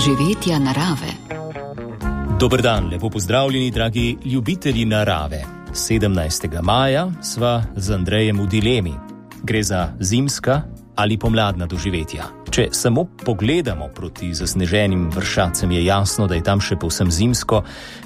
doživetja narave. Dober dan, lepo pozdravljeni, dragi ljubitelji narave. 17. maja sva z Andrejem v dilemi. Gre za zimska ali pomladna doživetja. Če samo pogledamo proti zasneženim vršacem, je jasno, da je tam še povsem zimsko.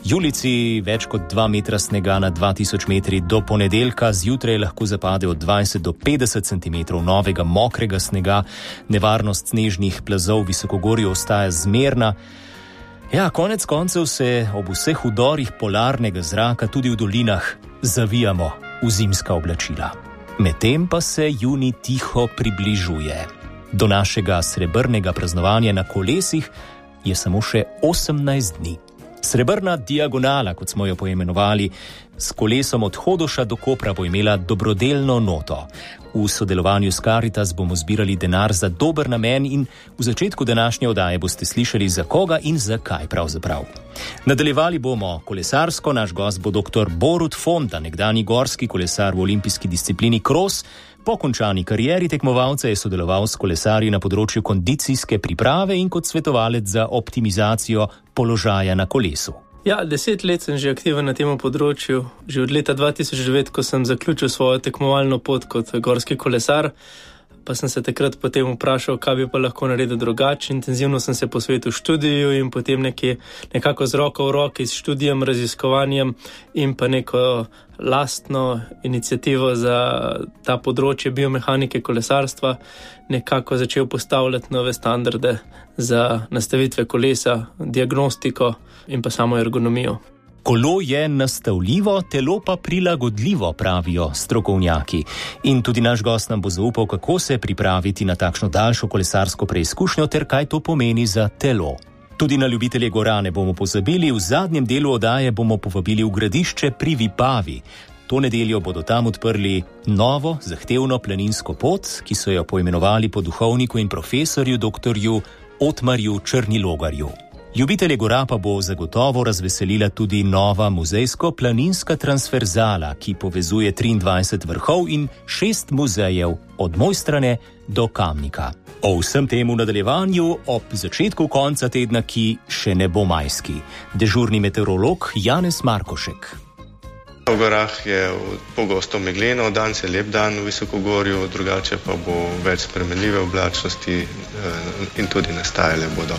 Julici več kot 2 metra snega na 2000 metri do ponedeljka, zjutraj lahko zapade od 20 do 50 cm novega mokrega snega, nevarnost snežnih plazov v visokogorju ostaja zmerna. Ja, konec koncev se ob vseh udorih polarnega zraka tudi v dolinah zavijamo v zimska oblačila. Medtem pa se junij tiho približuje. Do našega srebrnega praznovanja na kolesih je samo še 18 dni. Srebrna diagonala, kot smo jo poimenovali, s kolesom od Hodoša do Kopra bo imela dobrodelno noto. V sodelovanju s Karitas bomo zbirali denar za dober namen in v začetku današnje oddaje boste slišali, za koga in zakaj pravzaprav. Nadaljevali bomo kolesarsko, naš gost bo dr. Borut Fonda, nekdanji gorski kolesar v olimpijski disciplini kros. Po končani karieri tekmovalca je sodeloval s kolesarji na področju kondicijske priprave in kot svetovalec za optimizacijo položaja na kolesu. Ja, 10 let sem že aktiven na tem področju. Že od leta 2009, ko sem zaključil svojo tekmovalno pot kot gorski kolesar, pa sem se takrat potem vprašal, kaj bi pa lahko naredil drugače. Intenzivno sem se posvetil študiju in potem nekako z roko v roki s študijem, raziskovanjem in pa neko lastno inicijativo za ta področje biomehanike kolesarstva nekako začel postavljati nove standarde za nastavitve kolesa, diagnostiko in pa samo ergonomijo. Kolo je nastavljivo, telo pa prilagodljivo, pravijo strokovnjaki. In tudi naš gost nam bo zaupal, kako se pripraviti na takšno daljšo kolesarsko preizkušnjo ter kaj to pomeni za telo. Tudi na ljubitelje gora ne bomo pozabili, v zadnjem delu oddaje bomo povabili v Gradišče pri Vipavi. To nedeljo bodo tam odprli novo, zahtevno planinsko pot, ki so jo poimenovali po duhovniku in profesorju dr. Otmarju Črnilogarju. Ljubitelje gora pa bo zagotovo razveselila tudi nova muzejsko-planinska transverzala, ki povezuje 23 vrhov in 6 muzejev od Mojstrane do Kamnika. O vsem temu nadaljevanju ob začetku konca tedna, ki še ne bo majski. Dežurni meteorolog Janez Markošek. V gorah je pogosto megleno, danes je lep dan v visokogorju, drugače pa bo več spremenljive oblačnosti in tudi nastajale bodo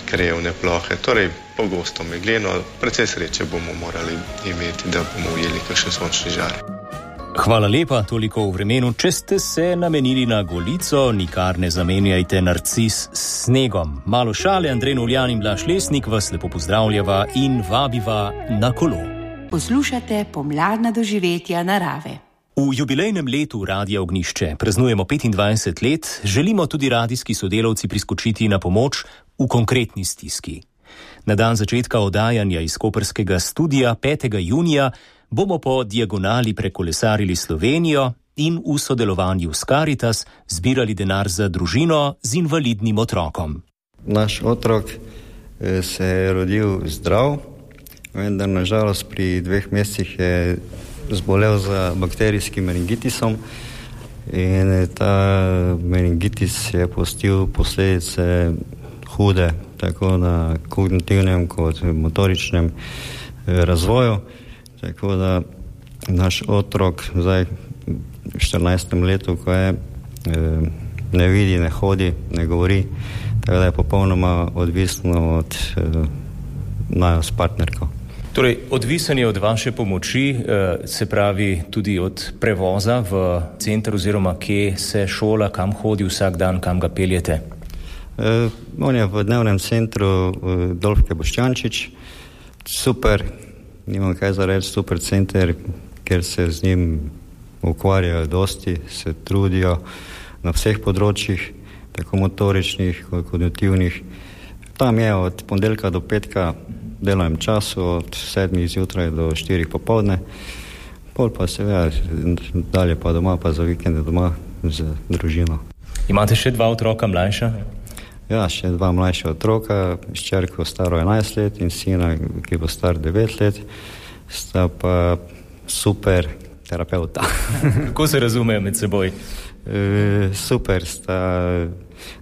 krajevne plohe. Torej, pogosto megleno, precej sreče bomo morali imeti, da bomo ujeli kakšen sončni žar. Hvala lepa, toliko v vremenu. Če ste se namenili na Golico, nikar ne zamenjajte narcis s snegom. Malo šale, Andrej Novljan in Blaž Lesnik vas lepo pozdravljava in vabiva na kolo. Poslušate pomladna doživetja narave. V jubilejnem letu Radia Ognjišče praznujemo 25 let, želimo tudi radijski sodelavci priskočiti na pomoč v konkretni stiski. Na dan začetka oddajanja iz koprskega studia 5. junija bomo po diagonali prekolesarili Slovenijo in v sodelovanju s Karitas zbirali denar za družino z invalidnim otrokom. Naš otrok se je rodil zdrav, vendar nažalost pri 2 mesecih je zbolel za bakterijskim meningitisom in ta meningitis je pustil posledice hude, tako na kognitivnem kot motoričnem razvoju. Tako da naš otrok zdaj v 14. letu, ko je, ne vidi, ne hodi, ne govori, tako da je popolnoma odvisno od nas s partnerko. Torej, odvisen je od vaše pomoči, se pravi tudi od prevoza v center oziroma kje se šola, kam hodi vsak dan, kam ga peljete? On je v dnevnem centru Dolfke Boščančič. Super, nimam kaj za reči, super center, ker se z njim ukvarjajo dosti, se trudijo na vseh področjih, tako motoričnih kot kognitivnih. Tam je od ponedeljka do petka delovnem času, od 7 zjutraj do 4 popoldne, pol pa seveda dalje pa doma, pa za vikende doma z družino. Imate še 2 otroka mlajša? Ja, še 2 mlajša otroka, hčerko staro 11 let in sina, ki bo star 9 let, sta pa super terapeuta. Kako se razumejo med seboj? Super, sta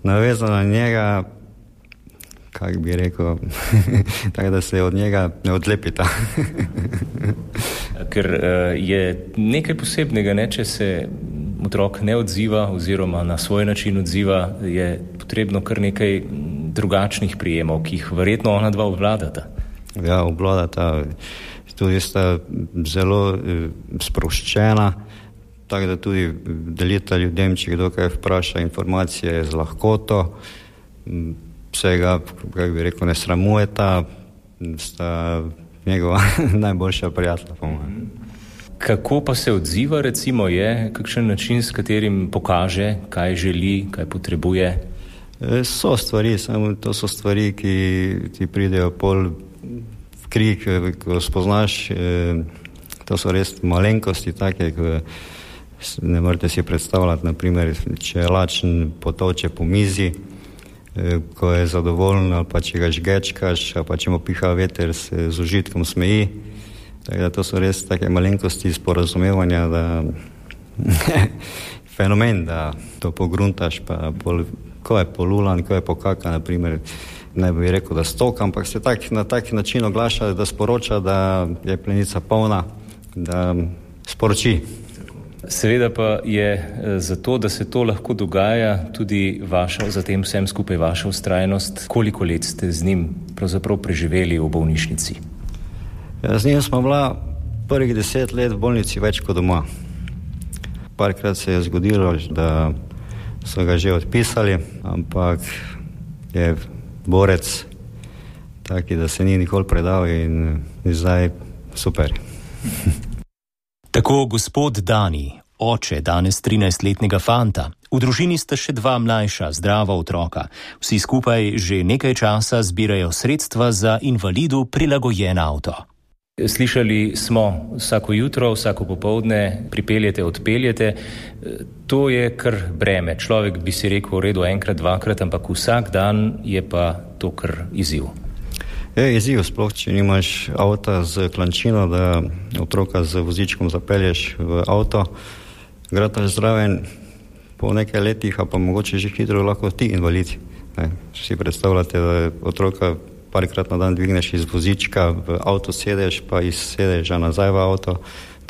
navezana na njega, kako bi rekel, tako da se od njega ne odlepita. Ker je nekaj posebnega, ne, če se otrok ne odziva oziroma na svoj način odziva, je potrebno kar nekaj drugačnih prijemov, ki jih verjetno ona dva obvladata. Ja, obvladata, tudi sta zelo sproščena, tako da tudi delita ljudem, če kdo kaj vpraša, informacije z lahkoto, vsega, kako bi rekel, ne sramujeta, sta njegova najboljša prijatelja, po mojem. Kako pa se odziva, recimo, je kakšen način, s katerim pokaže, kaj želi, kaj potrebuje? So stvari, samo to so stvari, ki ti pridejo pol v krik, ko spoznaš, to so res malenkosti take, ko ne morete si predstavljati, naprimer, če je lačen, potoče po mizi, ko je zadovoljen, ali pa če ga žgečkaš, ali pa če mu piha veter, se z užitkom smeji. Tako da to so res take malenkosti sporazumevanja, da fenomen, da to pogruntaš, pa ko je polulan, ko je pokaka, naprimer, ne bi rekel, da stoka, ampak se na tak način oglaša, da sporoča, da je plenica polna, da sporoči. Seveda pa je zato, da se to lahko dogaja, tudi za tem vsem skupaj vaša vztrajnost. Koliko let ste z njim pravzaprav preživeli v bolnišnici? Z njim smo bila prvih 10 let v bolnici več kot doma. Parkrat se je zgodilo, da so ga že odpisali, ampak je borec taki, da se ni nikoli predal in zdaj super. Tako gospod Dani, oče danes 13-letnega fanta. V družini sta še 2 mlajša, zdrava otroka. Vsi skupaj že nekaj časa zbirajo sredstva za invalidu prilagojen avto. Slišali smo, vsako jutro, vsako popoldne pripeljete, odpeljete. To je kar breme. Človek bi si rekel v redu enkrat, dvakrat, ampak vsak dan je pa to kar izziv. Je izziv, sploh če nimaš avta z klančino, da otroka z vozičkom zapelješ v avto, grataš zraven, po nekaj letih, a pa mogoče že hitro lahko ti invalid. Si predstavljate, da otroka parkrat na dan dvigneš iz vozička, v avto sedeš, pa iz sedeža nazaj v avto,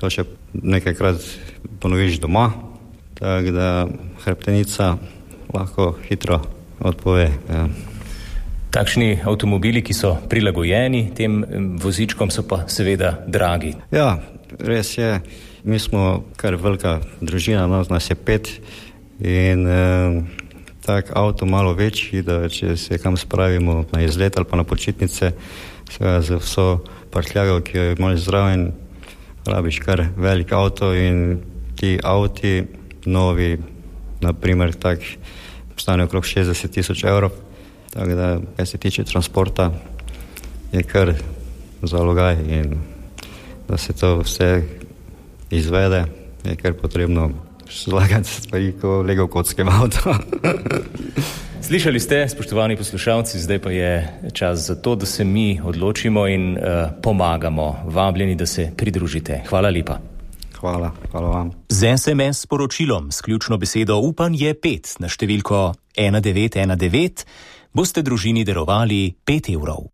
to še nekajkrat ponoviš doma, tako da hrbtenica lahko hitro odpove. Ja. Takšni avtomobili, ki so prilagojeni tem vozičkom, so pa seveda dragi. Ja, res je. Mi smo kar velika družina, nas je 5 in tak avto malo večji, da če se kam spravimo na izlet ali pa na počitnice, seveda za vso prtljago, ki jo imaš zraven, rabiš kar velik avto in ti avti novi, naprimer tak, stane okrog 60,000 evrov. Tako da, kaj se tiče transporta, je kar zalogaj in da se to vse izvede, je kar potrebno zlagati stvari, ko lego v kockem avto. Slišali ste, spoštovani poslušalci, zdaj pa je čas za to, da se mi odločimo in pomagamo. Vabljeni, da se pridružite. Hvala lepa. Hvala vam. Z SMS sporočilom s ključno besedo upanje 5 na številko 1919 boste družini darovali 5 evrov.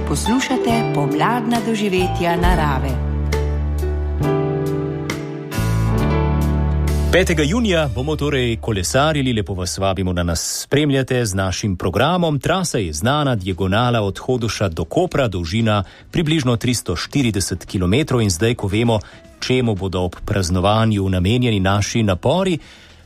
Poslušate pomladna doživetja narave. 5. junija bomo torej kolesarili, lepo vas vabimo, da nas spremljate z našim programom. Trasa je znana, diagonala od Hodoša do Kopra, dolžina približno 340 km in zdaj, ko vemo, čemu bodo ob praznovanju namenjeni naši napori,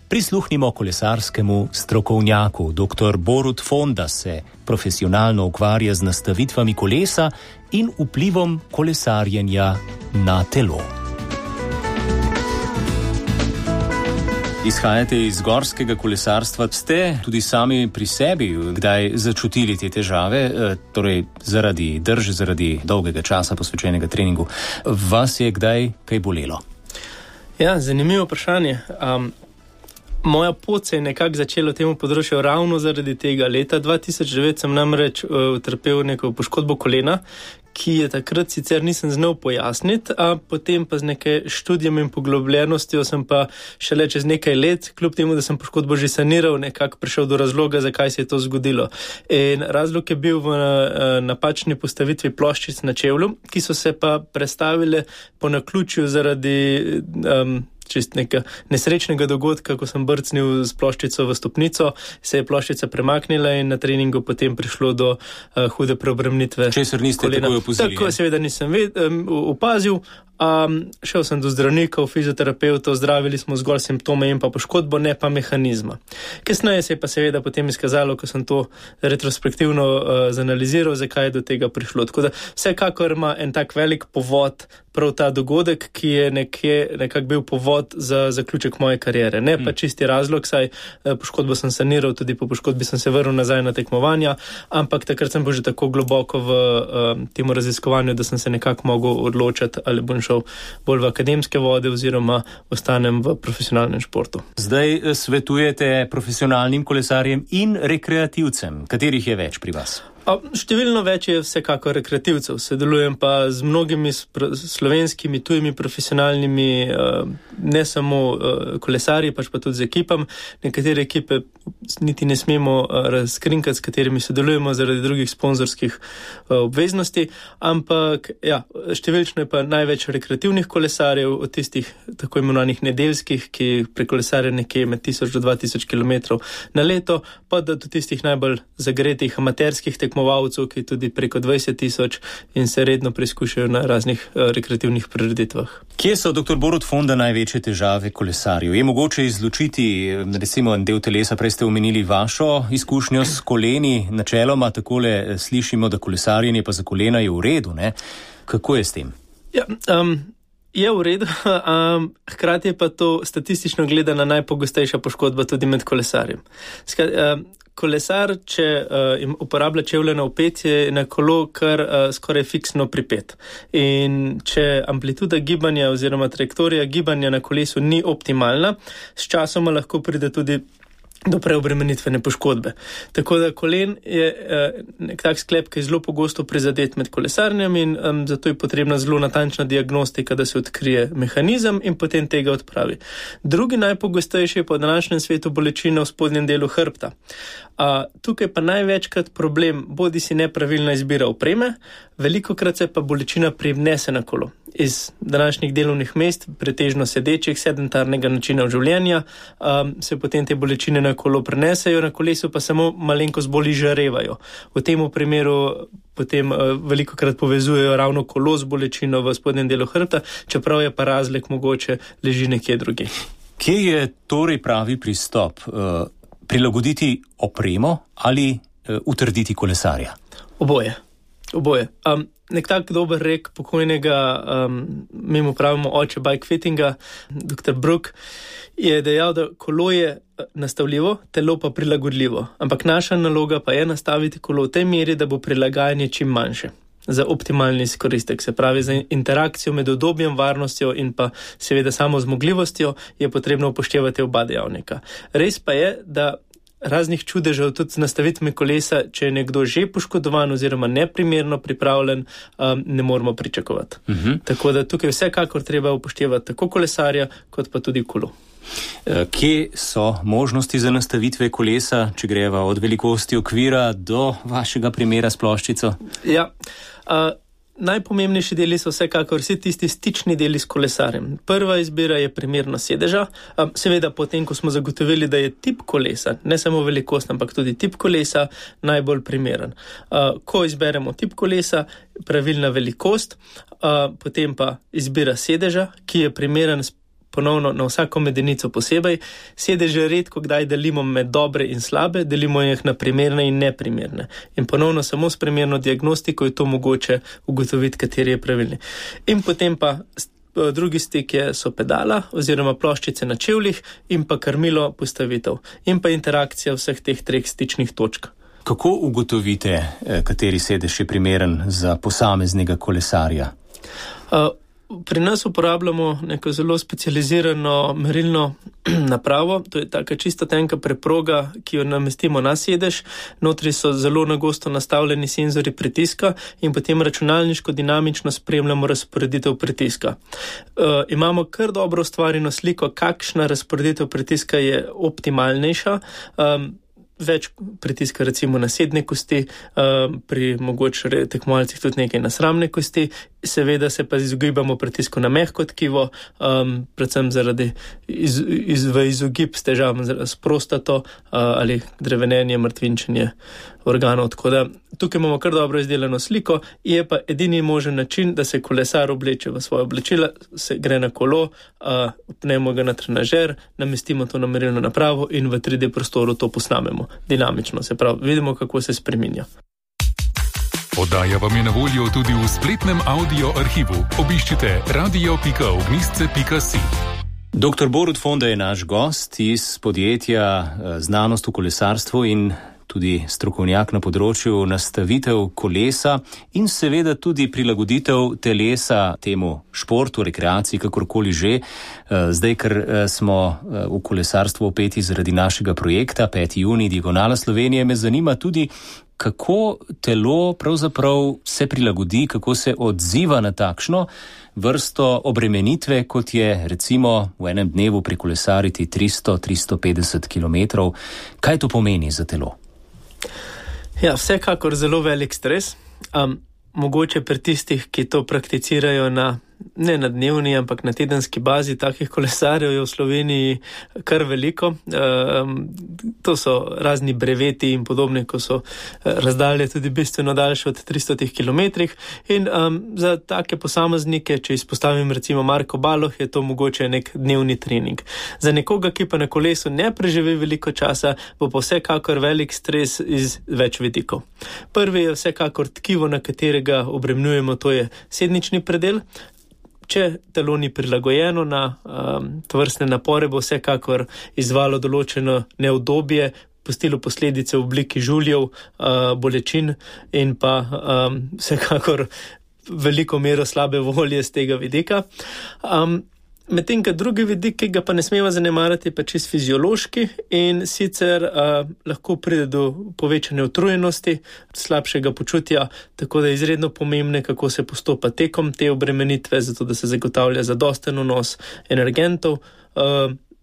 prisluhnimo kolesarskemu strokovnjaku. Dr. Borut Fonda se profesionalno ukvarja z nastavitvami kolesa in vplivom kolesarjenja na telo. Izhajate iz gorskega kolesarstva. Ste tudi sami pri sebi kdaj začutili te težave, torej zaradi drže, zaradi dolgega časa posvečenega treningu? Vas je kdaj kaj bolelo? Ja, zanimivo vprašanje. Moja pot se je nekako začela v temu področju ravno zaradi tega. Leta 2009 sem namreč utrpel neko poškodbo kolena, ki je takrat sicer nisem znal pojasniti, a potem pa z nekaj študijem in poglobljenostjo sem pa šele čez nekaj let, kljub temu, da sem poškodbo že saniral, nekako prišel do razloga, zakaj se je to zgodilo. In razlog je bil v napačni postavitvi ploščic na čevlju, ki so se pa prestavile po naključju zaradi čist nekega nesrečnega dogodka, ko sem brcnil z ploščico v stopnico, se je ploščica premaknila in na treningu potem prišlo do hude preobremenitve. Česar niste takoj opazili? Tako seveda nisem opazil. Šel sem do zdravnikov, fizioterapeutov, zdravili smo zgolj simptome in pa poškodbo, ne pa mehanizma. Kasneje se je pa seveda potem izkazalo, ko sem to retrospektivno zanaliziral, zakaj je do tega prišlo. Tako da vsekakor ima en tak velik povod prav ta dogodek, ki je nekako bil povod za zaključek moje kariere. Ne pa čisti razlog, saj poškodbo sem saniral, tudi po poškodbi sem se vrnil nazaj na tekmovanja, ampak takrat sem bil že tako globoko v temu raziskovanju, da sem se nekako mogel odločiti, ali bom šel bolj v akademske vode oziroma ostanem v profesionalnem športu. Zdaj svetujete profesionalnim kolesarjem in rekreativcem. Katerih je več pri vas? Številno več je vsekako rekreativcev. Sodelujem pa z mnogimi slovenskimi, tujimi profesionalnimi, ne samo kolesarji, pač pa tudi z ekipam. Nekatere ekipe niti ne smemo razkrinkati, s katerimi sodelujemo zaradi drugih sponzorskih obveznosti, ampak ja, številčno je pa največ rekreativnih kolesarjev, od tistih tako imenovanih nedeljskih, ki prekolesarja nekje med 1000 do 2000 km na leto, pa da do tistih najbolj zagretih amaterskih tekmovalcev, ki tudi preko 20 000 in se redno preizkušajo na raznih rekreativnih prireditvah. Kje so, dr. Borut Fonda, največje težave kolesarjev? Je mogoče izločiti, recimo, en del telesa? Prej ste omenili vašo izkušnjo s koleni. Načeloma takole slišimo, da kolesarjenje pa za kolena je v redu, ne? Kako je s tem? Ja, je v redu, hkrati je pa to statistično gledana najpogostejša poškodba tudi med kolesarjem. Kolesar, če uporablja čevlje na opetje, je na kolo kar skoraj fiksno pripet. In če amplituda gibanja oziroma trajektorija gibanja na kolesu ni optimalna, s časoma lahko pride tudi do preobremenitvene poškodbe. Tako da kolen je nek tak sklep, ki je zelo pogosto prizadet med kolesarjem in zato je potrebna zelo natančna diagnostika, da se odkrije mehanizem in potem tega odpravi. Drugi najpogostejši je po današnjem svetu bolečina v spodnjem delu hrbta. Tukaj pa največkrat problem bodi si nepravilna izbira opreme, velikokrat se pa bolečina privnese na kolo. Iz današnjih delovnih mest, pretežno sedečih, sedentarnega načina življenja, se potem te bolečine na kolo prenesejo, na kolesu pa samo malenkost bolj izžarevajo. V tem primeru potem velikokrat povezujejo ravno kolo z bolečino v spodnjem delu hrbta, čeprav je pa razlog mogoče leži nekje drugje. Kje je torej pravi pristop? Prilagoditi opremo ali utrditi kolesarja? Oboje. Nek tak dober rek pokojnega, mi mu pravimo oče bike fittinga, dr. Brook, je dejal, da kolo je nastavljivo, telo pa prilagodljivo. Ampak naša naloga pa je nastaviti kolo v tej meri, da bo prilagajanje čim manjše. Za optimalni izkoristek, se pravi za interakcijo med udobjem, varnostjo in pa seveda samo zmogljivostjo je potrebno upoštevati oba dejavnika. Res pa je, da raznih čudežev tudi z nastavitvami kolesa, če je nekdo že poškodovan oziroma neprimerno pripravljen, ne moramo pričakovati. Tako da tukaj vsekakor treba upoštevati tako kolesarja, kot pa tudi kolo. Kje so možnosti za nastavitve kolesa, če greva od velikosti okvira do vašega primera s ploščico? Ja, najpomembnejši deli so vsekakor vsi tisti stični deli s kolesarjem. Prva izbira je primernost sedeža, seveda potem, ko smo zagotovili, da je tip kolesa, ne samo velikost, ampak tudi tip kolesa najbolj primeren. Ko izberemo tip kolesa, pravilna velikost, potem pa izbira sedeža, ki je primeren ponovno na vsako medenico posebej. Sedeže redko kdaj delimo med dobre in slabe, delimo jih na primerne in neprimerne. In ponovno samo s primerno diagnostiko je to mogoče ugotoviti, kateri je pravilni. In potem pa drugi stik so pedala oziroma ploščice na čevljih in pa krmilo postavitev. In pa interakcija vseh teh treh stičnih točk. Kako ugotovite, kateri sedež je primeren za posameznega kolesarja? Pri nas uporabljamo neko zelo specializirano merilno napravo, to je taka čisto tenka preproga, ki jo namestimo na sedež, notri so zelo nagosto nastavljeni senzori pritiska in potem računalniško dinamično spremljamo razporeditev pritiska. Imamo kar dobro ustvarjeno sliko, kakšna razporeditev pritiska je optimalnejša, več pritiska recimo na sedne kosti, pri mogoče tekmovalcih tudi nekaj na sramne kosti, seveda se pa izogibamo pritisku na mehko tkivo, predvsem zaradi v izogib s težavam s prostato ali drevenenje, mrtvinčenje organov, tako da tukaj imamo kar dobro izdelano sliko, je pa edini možen način, da se kolesar obleče v svoje oblačila, se gre na kolo, upnemo ga na trenažer, namestimo to na merilno napravo in v 3D prostoru to posnamemo dinamično, se pravi, vidimo, kako se spreminja. Oddaja vam je na voljo tudi v spletnem audio arhivu. Obiščite radio.ognjisce.si. Dr. Borut Fonda je naš gost iz podjetja Znanost v kolesarstvu in tudi strokovnjak na področju nastavitev kolesa in seveda tudi prilagoditev telesa temu športu, rekreaciji, kakorkoli že. Zdaj, ker smo v kolesarstvu opeti zaradi našega projekta 5. junij Diagonala Slovenije, me zanima tudi, kako telo pravzaprav se prilagodi, kako se odziva na takšno vrsto obremenitve, kot je recimo v enem dnevu prekolesariti 300-350 km. Kaj to pomeni za telo? Ja, vsekakor zelo velik stres. Mogoče pri tistih, ki to prakticirajo ne na dnevni, ampak na tedenski bazi, takih kolesarjev je v Sloveniji kar veliko. To so razni breveti in podobne, ko so razdalje tudi bistveno daljše od 300 km. In za take posameznike, če izpostavim recimo Marko Baloh, je to mogoče nek dnevni trening. Za nekoga, ki pa na kolesu ne preživi veliko časa, bo pa vsekakor velik stres iz več vidikov. Prvi je vsekakor tkivo, na katerega obremenjujemo, to je sednični predel. Če telo ni prilagojeno na tovrstne napore, bo vsekakor izvalo določeno neudobje, pustilo posledice v obliki žuljev, bolečin in pa vsekakor veliko mero slabe volje z tega vidika. Medtem, ka drugi vidik, ki ga pa ne smemo zanemariti, pa čist fiziološki in sicer lahko pride do povečane utrujenosti, slabšega počutja, tako da je izredno pomembno, kako se postopa tekom te obremenitve, zato da se zagotavlja zadosten vnos energentov,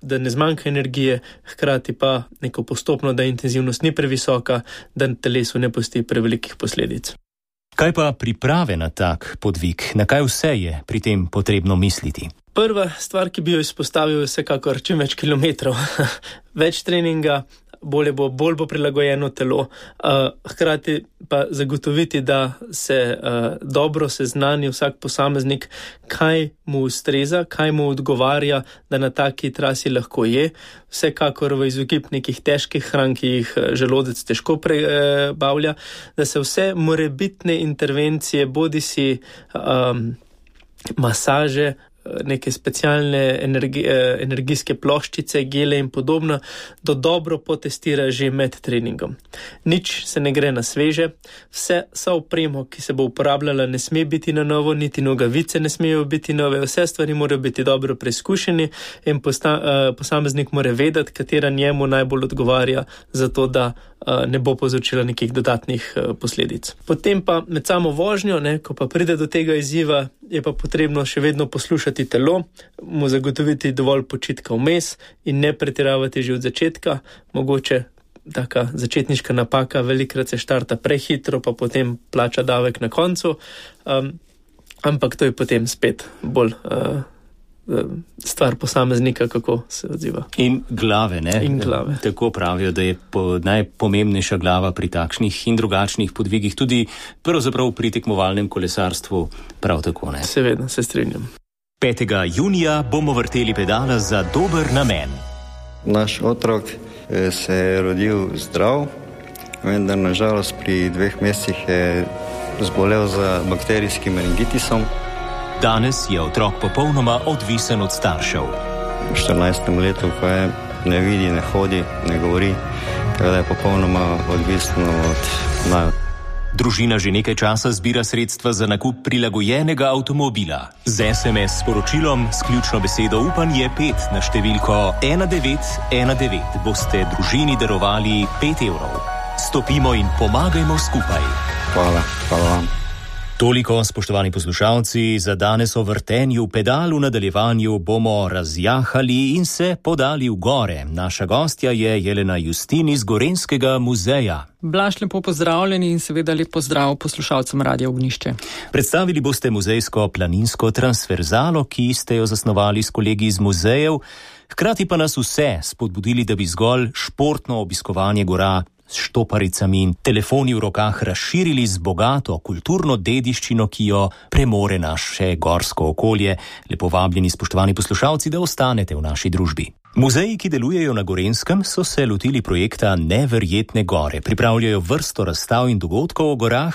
da ne zmanjka energije, hkrati pa neko postopno, da intenzivnost ni previsoka, da telesu ne pusti prevelikih posledic. Kaj pa priprave na tak podvig? Na kaj vse je pri tem potrebno misliti? Prva stvar, ki bi jo izpostavil, je vsekakor čim več kilometrov. Več treninga, bolj bo prilagojeno telo, hkrati pa zagotoviti, da se dobro seznani vsak posameznik, kaj mu ustreza, kaj mu odgovarja, da na taki trasi lahko je. Vsekakor v izogib nekih težkih hran, ki jih želodec težko prebavlja, da se vse morebitne intervencije, bodisi masaže, neke specialne energijske ploščice, gele in podobno, da dobro potestira že med treningom. Nič se ne gre na sveže, vsa opremo, ki se bo uporabljala, ne sme biti na novo, niti nogavice ne smejo biti nove, vse stvari morajo biti dobro preizkušeni in posameznik mora vedeti, katera njemu najbolj odgovarja za to, da ne bo povzročila nekih dodatnih posledic. Potem pa med samo vožnjo, ko pa pride do tega izziva, je pa potrebno še vedno poslušati telo, mu zagotoviti dovolj počitka vmes in ne pretiravati že od začetka. Mogoče taka začetniška napaka, velikrat se štarta prehitro, pa potem plača davek na koncu, ampak to je potem spet bolj stvar posameznika, kako se odziva. In glave, ne? In glave. Tako pravijo, da je najpomembnejša glava pri takšnih in drugačnih podvigih, tudi pravzaprav pri tekmovalnem kolesarstvu prav tako, ne? Seveda, se strinjam. 5. junija bomo vrteli pedala za dober namen. Naš otrok se je rodil zdrav, vendar nažalost pri 2 mesecih je zbolel za bakterijskim meningitisom. Danes je otrok popolnoma odvisen od staršev. V 14. letu pa ne vidi, ne hodi, ne govori, tako da je popolnoma odvisno od naju. Družina že nekaj časa zbira sredstva za nakup prilagojenega avtomobila. Z SMS sporočilom s ključno besedo upanje 5 na številko 1919 boste družini darovali 5 evrov. Stopimo in pomagajmo skupaj. Hvala vam. Toliko, spoštovani poslušalci, za danes o vrtenju pedal. V nadaljevanju bomo razjahali in se podali v gore. Naša gostja je Jelena Justin iz Gorenjskega muzeja. Blaž, lepo pozdravljeni in seveda lep pozdrav poslušalcem Radia Ognjišče. Predstavili boste muzejsko planinsko transverzalo, ki ste jo zasnovali s kolegi iz muzejev, hkrati pa nas vse spodbudili, da bi zgolj športno obiskovanje gora s štoparicami in telefoni v rokah razširili z bogato kulturno dediščino, ki jo premore naše gorsko okolje. Lepo vabljeni, spoštovani poslušalci, da ostanete v naši družbi. Muzeji, ki delujejo na Gorenjskem, so se lotili projekta Neverjetne gore. Pripravljajo vrsto razstav in dogodkov o gorah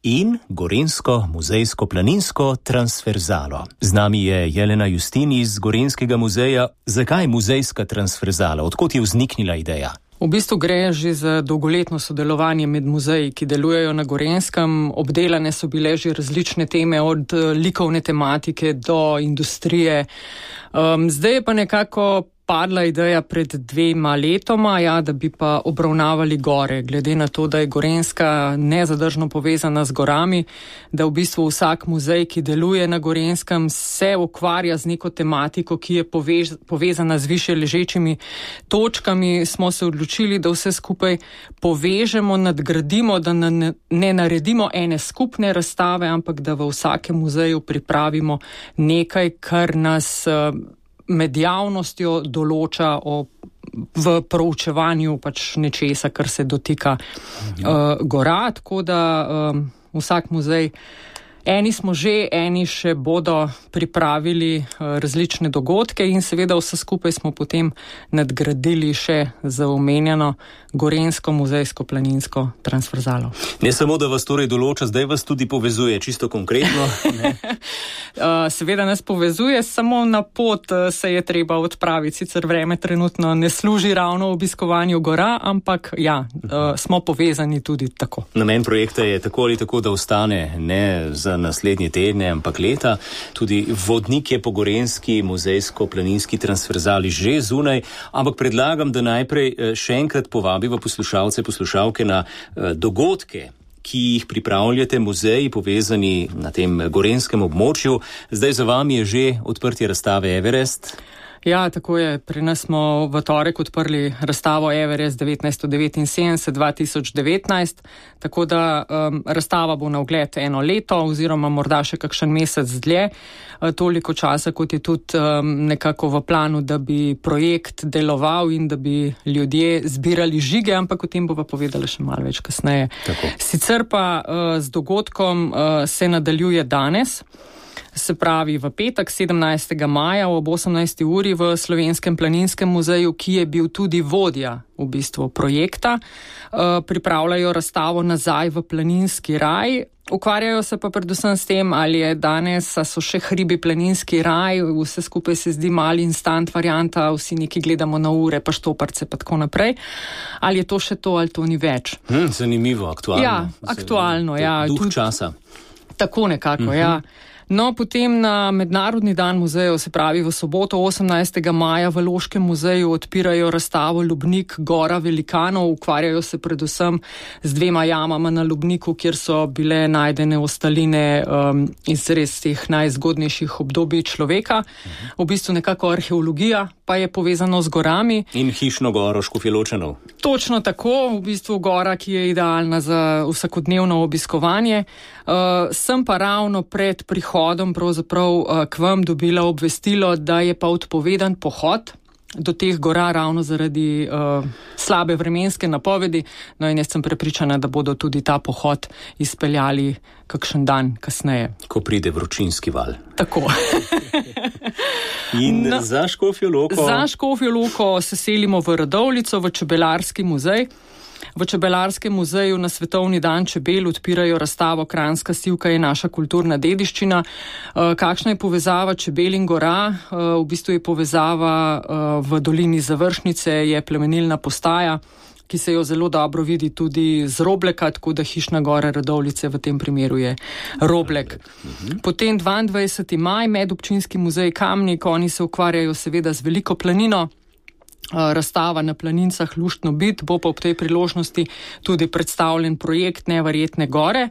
in Gorenjsko muzejsko planinsko transverzalo. Z nami je Jelena Justin iz Gorenjskega muzeja. Zakaj muzejska transverzala? Odkot je vzniknila ideja? V bistvu gre že za dolgoletno sodelovanje med muzeji, ki delujejo na Gorenjskem. Obdelane so bile že različne teme, od likovne tematike do industrije. Zdaj je pa nekako padla ideja pred 2 letoma, da bi pa obravnavali gore, glede na to, da je Gorenjska nezadržno povezana z gorami, da v bistvu vsak muzej, ki deluje na Gorenjskem, se ukvarja z neko tematiko, ki je povezana z više ležečimi točkami. Smo se odločili, da vse skupaj povežemo, nadgradimo, da ne naredimo ene skupne razstave, ampak da v vsakem muzeju pripravimo nekaj, kar nas med javnostjo določa v proučevanju nečesa, kar se dotika gora, tako da vsak muzej, eni smo že, eni še bodo pripravili različne dogodke in seveda vse skupaj smo potem nadgradili še za omenjeno Gorenjsko muzejsko planinsko transverzalo. Ne samo, da vas torej določa, zdaj vas tudi povezuje, čisto konkretno. Seveda nas povezuje, samo na pot se je treba odpraviti. Sicer vreme trenutno ne služi ravno obiskovanju gora, ampak smo povezani tudi tako. Namen projekta je tako ali tako, da ostane ne za naslednje tedne, ampak leta. Tudi vodnik je po Gorenjski muzejsko-planinski transverzali že zunaj, ampak predlagam, da najprej še enkrat povabiva poslušalce, poslušalke na dogodke, ki jih pripravljate muzeji povezani na tem gorenjskem območju. Zdaj za vami je že odprtje razstave Everest. Ja, tako je. Pri nas smo v torek odprli razstavo Everest 1979-2019, tako da razstava bo na ogled 1 leto oziroma morda še kakšen mesec dlje. Toliko časa, kot je tudi nekako v planu, da bi projekt deloval in da bi ljudje zbirali žige, ampak o tem bova povedala še malo več kasneje. Tako. Sicer pa z dogodkom se nadaljuje danes. Se pravi v petek 17. maja ob 18. uri v Slovenskem planinskem muzeju, ki je bil tudi vodja v bistvu projekta. Pripravljajo razstavo Nazaj v planinski raj. Ukvarjajo se pa predvsem s tem, ali je danes, so še hribi planinski raj, vse skupaj se zdi mali instant varianta, vsi neki gledamo na ure, pa štoparce, pa tako naprej. Ali je to še to, ali to ni več? Zanimivo, aktualno. Ja, aktualno, ja. Duh časa. Tako nekako, ja. No, potem na Mednarodni dan muzejev, se pravi v soboto 18. maja v Loškem muzeju odpirajo razstavo Lubnik Gora velikanov. Ukvarjajo se predvsem z 2 jamama na Lubniku, kjer so bile najdene ostaline iz res teh najzgodnejših obdobij človeka. V bistvu nekako arheologija pa je povezano z gorami. In hišno goro Škofjeločanov. Točno tako, v bistvu gora, ki je idealna za vsakodnevno obiskovanje. Sem pa ravno pred prihodom pravzaprav k vam dobila obvestilo, da je pa odpovedan pohod do teh gora ravno zaradi slabe vremenske napovedi. No in jaz sem prepričana, da bodo tudi ta pohod izpeljali kakšen dan kasneje. Ko pride vročinski val. Tako. In za Škofjo Loko? Za Škofjo Loko se selimo v Radovljico, v Čebelarski muzej. V Čebelarskem muzeju na Svetovni dan čebel odpirajo razstavo Kranjska sivka je naša kulturna dediščina. Kakšna je povezava čebel in gora? V bistvu je povezava v dolini Završnice, je plemenilna postaja. ki se jo zelo dobro vidi tudi z Robleka, tako da Hišna gora Radovljice v tem primeru je Roblek. Potem 22. maj, Medobčinski muzej Kamnik, oni se ukvarjajo seveda z Veliko planino, razstava na planincah Luštno bit, bo pa ob tej priložnosti tudi predstavljen projekt Neverjetne gore.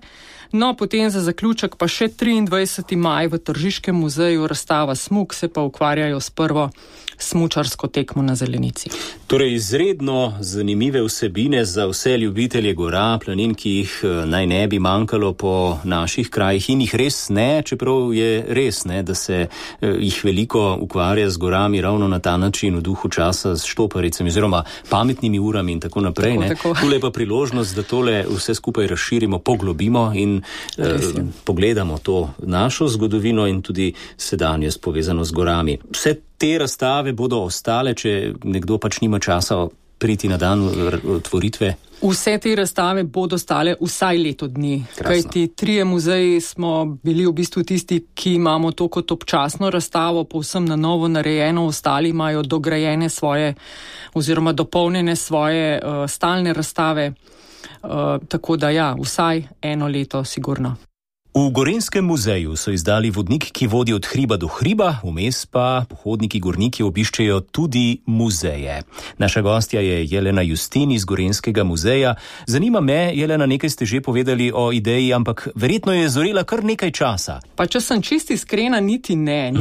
No, potem za zaključek pa še 23. maj v Tržiškem muzeju razstava Smuk, se pa ukvarjajo s prvo smučarsko tekmo na Zelenici. Torej, izredno zanimive vsebine za vse ljubitelje gora, planin, ki jih naj ne bi manjkalo po naših krajih in jih res ne, čeprav je res ne, da se jih veliko ukvarja z gorami ravno na ta način v duhu časa s štoparicami oziroma pametnimi urami in tako naprej. Tule pa priložnost, da tole vse skupaj razširimo, poglobimo in pogledamo to našo zgodovino in tudi sedanjost povezano z gorami. Vse te razstave bodo ostale, če nekdo pač nima časa priti na dan otvoritve? Vse te razstave bodo stale vsaj leto dni. Kajti 3 muzeji smo bili v bistvu tisti, ki imamo to kot občasno razstavo, povsem na novo narejeno, ostali imajo dograjene svoje oziroma dopolnjene svoje stalne razstave. Tako da ja, vsaj 1 leto sigurno. V Gorenjskem muzeju so izdali vodnik, ki vodi od hriba do hriba, vmes pa pohodniki gorniki obiščejo tudi muzeje. Naša gostja je Jelena Justin iz Gorenjskega muzeja. Zanima me, Jelena, nekaj ste že povedali o ideji, ampak verjetno je zorela kar nekaj časa. Pa če sem čisti iskrena, niti ne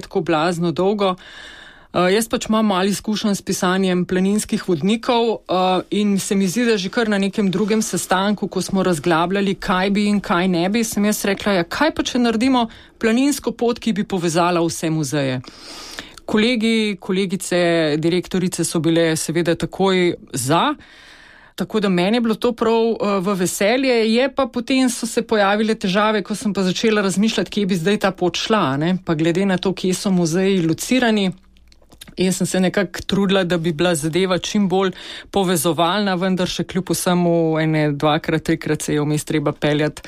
tako blazno dolgo. Jaz pač imam malo izkušenj s pisanjem planinskih vodnikov in se mi zdi, da že kar na nekem drugem sestanku, ko smo razglabljali, kaj bi in kaj ne bi, sem jaz rekla, ja, kaj pa če naredimo planinsko pot, ki bi povezala vse muzeje. Kolegi, kolegice, direktorice so bile seveda takoj za, tako da meni je bilo to prav v veselje, je pa potem so se pojavile težave, ko sem pa začela razmišljati, kje bi zdaj ta pot šla, ne? Pa glede na to, kje so muzeji locirani, jaz sem se nekako trudila, da bi bila zadeva čim bolj povezovalna, vendar še kljub vsemu 2-krat, 3-krat se je vmes treba peljati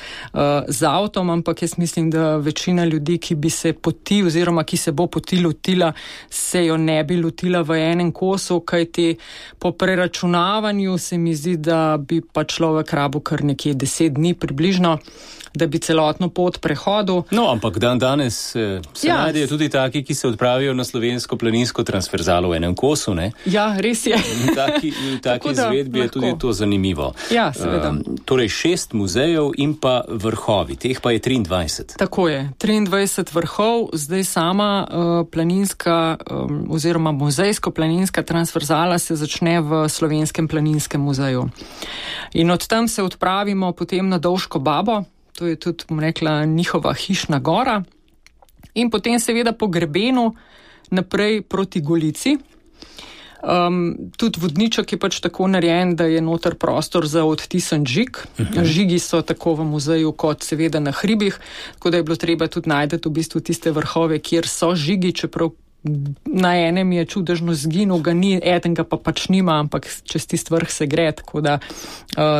z avtom, ampak jaz mislim, da večina ljudi, ki bi se poti oziroma ki se bo poti lotila, se jo ne bi lotila v enem kosu, kajti po preračunavanju se mi zdi, da bi pa človek rabil kar nekje 10 dni približno, da bi celotno pot prehodil. No, ampak danes se najdejo tudi taki, ki se odpravijo na slovensko planinsko transverzalo v enem kosu, ne? Ja, res je. Taki izvedbi je tudi to zanimivo. Ja, seveda. Torej 6 muzejev in pa vrhovi, teh pa je 23. Tako je, 23 vrhov, zdaj sama planinska oziroma muzejsko-planinska transverzala se začne v Slovenskem planinskem muzeju. In od tam se odpravimo potem na Dovško babo, to je tudi, bom rekla, njihova Hišna gora. In potem seveda po grebenu naprej proti Golici. Tudi vodniček je pač tako narejen, da je noter prostor za odtisan žig. Žigi so tako v muzeju kot seveda na hribih, tako da je bilo treba tudi najti v bistvu tiste vrhove, kjer so žigi, čeprav na enem je čudežno zginil, ga ni, eden ga pa pač nima, ampak čez tist vrh se gre, tako da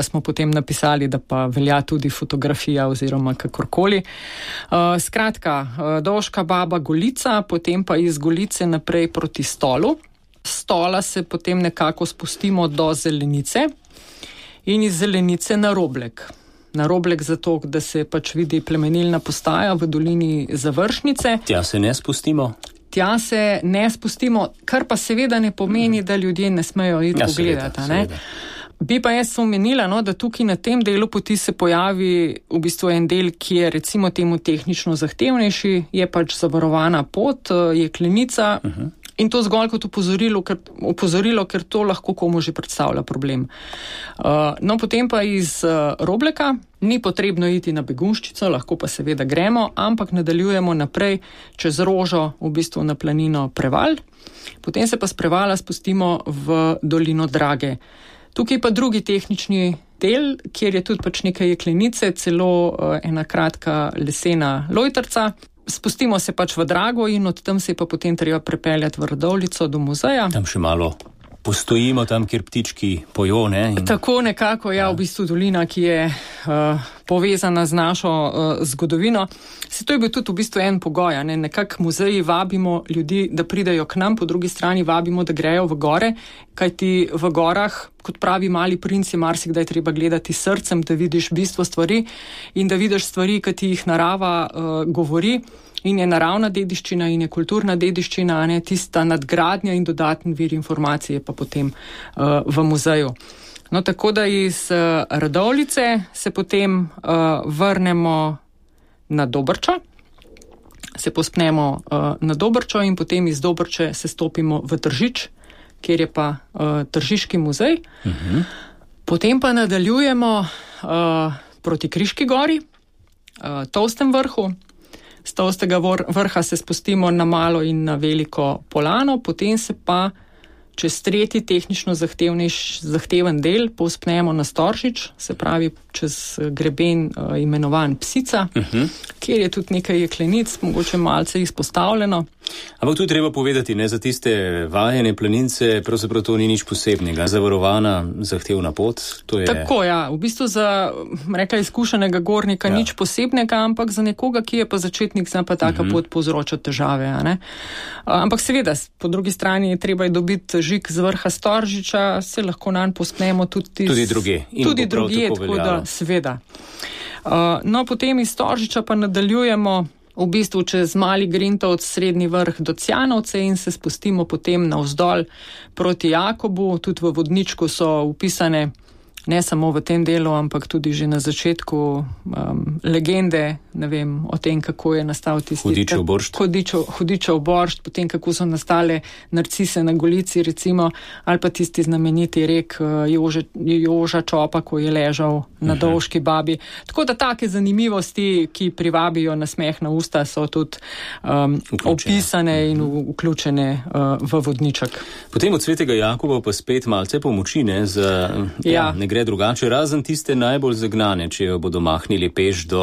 smo potem napisali, da pa velja tudi fotografija oziroma kakorkoli. Skratka, Dovška baba, Golica, potem pa iz Golice naprej proti Stolu. Stola se potem nekako spustimo do Zelenice in iz Zelenice na Roblek. Na Roblek zato, da se pač vidi plemenilna postaja v dolini Završnice. Tja se ne spustimo? Tja se ne spustimo, kar pa seveda ne pomeni, da ljudje ne smejo iti pogledati. Seveda. Bi pa jaz omenila, da tukaj na tem delu poti se pojavi v bistvu en del, ki je recimo temu tehnično zahtevnejši, je pač zavarovana pot, jeklenica. In to zgolj kot opozorilo, ker to lahko komu že predstavlja problem. No, potem pa iz Robleka ni potrebno iti na Begunjščico, lahko pa seveda gremo, ampak nadaljujemo naprej čez Rožo, v bistvu na planino Preval. Potem se pa s Prevala spustimo v dolino Drage. Tukaj pa drugi tehnični del, kjer je tudi pač nekaj jeklenice, celo ena kratka lesena lojtrca. Spustimo se pač v Drago in od tam se je pa potem treba prepeljati v Radovljico do muzeja. Tam še malo postojimo, tam, kjer ptički pojo, ne? Tako nekako, v bistvu dolina, ki je povezana z našo zgodovino. Se to je bil tudi v bistvu en pogoj, ne? Nekako muzeji vabimo ljudi, da pridejo k nam, po drugi strani vabimo, da grejo v gore, kajti v gorah, kot pravi Mali princ, je marsikdaj treba gledati srcem, da vidiš bistvo stvari in da vidiš stvari, ki ti jih narava govori. In je naravna dediščina in je kulturna dediščina, ne, tista nadgradnja in dodatni vir informacije pa potem v muzeju. No, tako da iz Radovljice se potem vrnemo na Dobrčo, se pospnemo na Dobrčo in potem iz Dobrče se stopimo v Tržič, kjer je pa Tržiški muzej. Potem pa nadaljujemo proti Kriški gori, Tolstem vrhu. Z Tolstega vrha se spustimo na malo in na veliko polano, potem se pa čez tretji tehnično zahteven del povzpnemo na Storžič, se pravi čez greben imenovan Psica, kjer je tudi nekaj jeklenic, mogoče malce izpostavljeno. Ampak tu je treba povedati, ne, za tiste vajene planince, pravzaprav to ni nič posebnega, zavarovana, zahtevna pot. To je... Tako, ja, v bistvu za, rekla, izkušenega gornika nič posebnega, ampak za nekoga, ki je pa začetnik, zna pa taka pot povzroča težave. Ne? Ampak seveda, po drugi strani je treba dobiti žig z vrha Storžiča, se lahko nanj pospnemo tudi druge. Tudi druge, tako da seveda. No, potem iz Storžiča pa nadaljujemo v bistvu čez Mali Grintovc, Srednji vrh do Cjanovce in se spustimo potem navzdol proti Jakobu. Tudi v vodničku so upisane ne samo v tem delu, ampak tudi že na začetku legende, ne vem, o tem, kako je nastal tisti Hudičev boršt, potem kako so nastale narcise na Golici, recimo, ali pa tisti znameniti rek Joža Čopa, ko je ležal na Dolški babi. Tako da take zanimivosti, ki privabijo na smeh na usta, so tudi opisane in vključene v vodniček. Potem od Svetega Jakoba pa spet malce pomoči, ne, ne gre drugače, razen tiste najbolj zagnane, če jo bodo mahnili peš do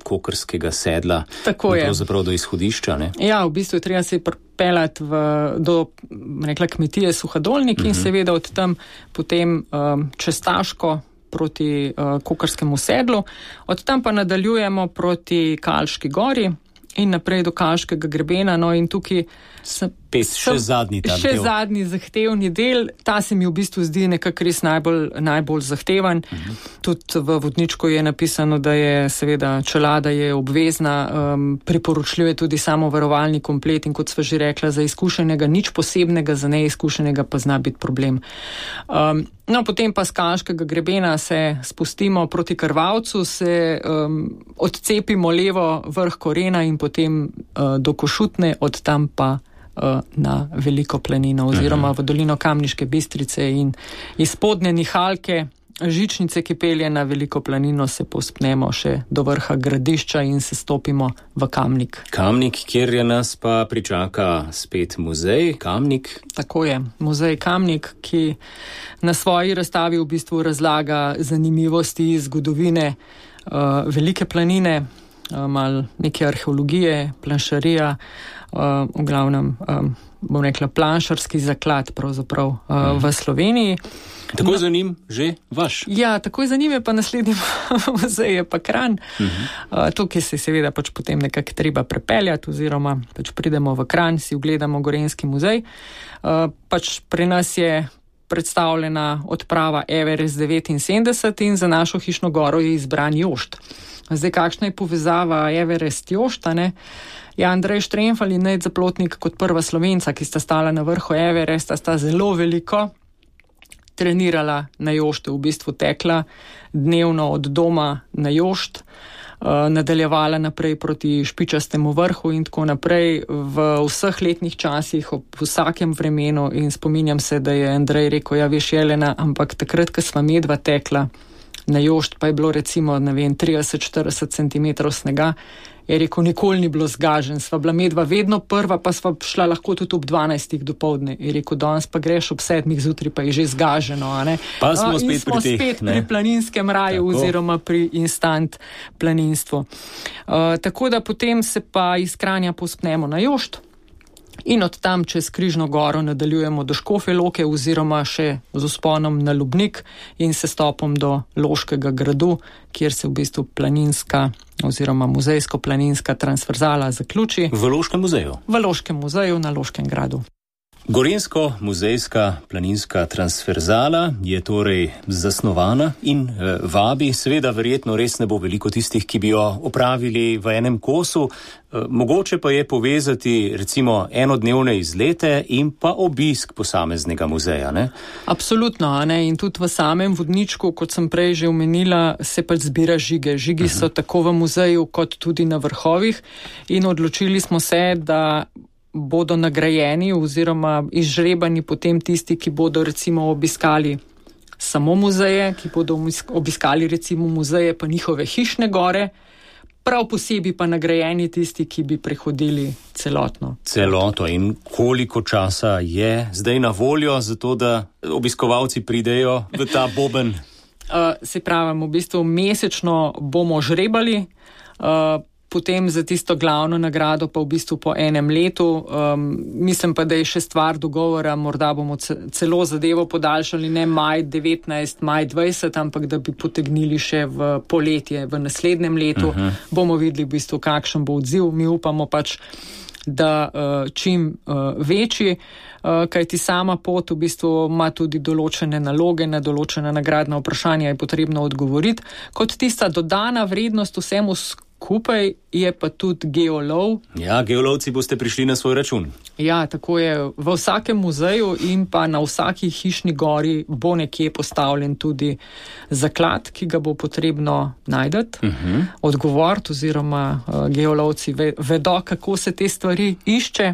Kokrskega sedla. Tako je. Pravzaprav do izhodišča, ne? Ja, v bistvu je treba se pripeljati do, rekla, kmetije Suhadolnik in seveda od tam potem čez Taško proti Kokrskemu sedlu. Od tam pa nadaljujemo proti Kalški gori in naprej do Kalškega grebena, no in tukaj še zadnji zahtevni del, ta se mi v bistvu zdi nekako res najbolj zahteven. Tudi v vodničku je napisano, da je seveda čelada je obvezna, priporočljiv je tudi samovarovalni komplet in kot sva že rekla, za izkušenega nič posebnega, za neizkušenega pa zna biti problem. No, potem pa z Kalškega grebena se spustimo proti Krvavcu, se odcepimo levo vrh Korena in potem do Košutne, od tam pa na Veliko planino oziroma v dolino Kamniške Bistrice in iz spodnje nihalke žičnice, ki pelje na Veliko planino, se povzpnemo še do vrha Gradišča in se stopimo v Kamnik. Kamnik, kjer je nas pa pričaka spet muzej Kamnik. Tako je, muzej Kamnik, ki na svoji razstavi v bistvu razlaga zanimivosti zgodovine Velike planine, malo neke arheologije, planšarija, v glavnem, bom rekla, planšarski zaklad pravzaprav v Sloveniji. Tako za njim že vaš? Ja, tako za njim je pa naslednji muzej, je pa Kranj. Tukaj se seveda pač potem nekako treba prepeljati oziroma pač pridemo v Kranj, si ogledamo Gorenjski muzej. Pač pri nas je predstavljena odprava Everest 79 in za našo hišno goro je izbran Jošt. Zdaj, kakšna je povezava Everest-Jošta, ne? Ja, Andrej Štremfel in Nejc Zaplotnik kot prva Slovenca, ki sta stala na vrhu Everesta, sta zelo veliko trenirala na Joštu, v bistvu tekla dnevno od doma na Jošt, nadaljevala naprej proti Špičastemu vrhu in tako naprej v vseh letnih časih, ob vsakem vremenu in spominjam se, da je Andrej rekel, ja veš Jelena, ampak takrat, ko sva medva tekla na Jošt, pa je bilo recimo, ne vem, 30-40 cm snega, je rekel, nikoli ni bilo zgažen, sva bila medva vedno prva, pa sva šla lahko tudi ob 12. dopoldne. Je rekel, danes pa greš ob 7. zjutraj, pa je že zgaženo, a ne? Pa smo spet pri planinskem raju oziroma pri instant planinstvu. Tako da potem se pa iz Kranja povzpnemo na Jošt In od tam čez Križno goro nadaljujemo do Škofje Loke oziroma še z vzponom na Lubnik in sestopom do Loškega gradu, kjer se v bistvu planinska oziroma muzejsko-planinska transverzala zaključi. V Loškem muzeju? V Loškem muzeju na Loškem gradu. Gorensko-muzejska planinska transverzala je torej zasnovana in vabi, seveda verjetno res ne bo veliko tistih, ki bi jo opravili v enem kosu, mogoče pa je povezati recimo enodnevne izlete in pa obisk posameznega muzeja, ne? Absolutno, ne? In tudi v samem vodničku, kot sem prej že omenila, se pač zbira žige. Žigi so tako v muzeju kot tudi na vrhovih in odločili smo se, da bodo nagrajeni oziroma izžrebani potem tisti, ki bodo recimo obiskali samo muzeje, ki bodo obiskali recimo muzeje pa njihove hišne gore, prav posebej pa nagrajeni tisti, ki bi prehodili celotno. Celoto. In koliko časa je zdaj na voljo za to, da obiskovalci pridejo v ta boben? Se pravim, v bistvu mesečno bomo žrebali, potem za tisto glavno nagrado pa v bistvu po enem letu. Mislim pa, da je še stvar dogovora, morda bomo celo zadevo podaljšali, ne maj 19, maj 20, ampak da bi potegnili še v poletje, v naslednjem letu. Bomo videli v bistvu, kakšen bo odziv. Mi upamo pač, da čim večji, kajti sama pot v bistvu ima tudi določene naloge, na določena nagradna vprašanja je potrebno odgovoriti. Kot tista dodana vrednost vsemu skupaj je pa tudi geolov. Ja, geolovci boste prišli na svoj račun. Ja, tako je. V vsakem muzeju in pa na vsaki hišni gori bo nekje postavljen tudi zaklad, ki ga bo potrebno najdeti, odgovoriti oziroma geolovci vedo, kako se te stvari išče.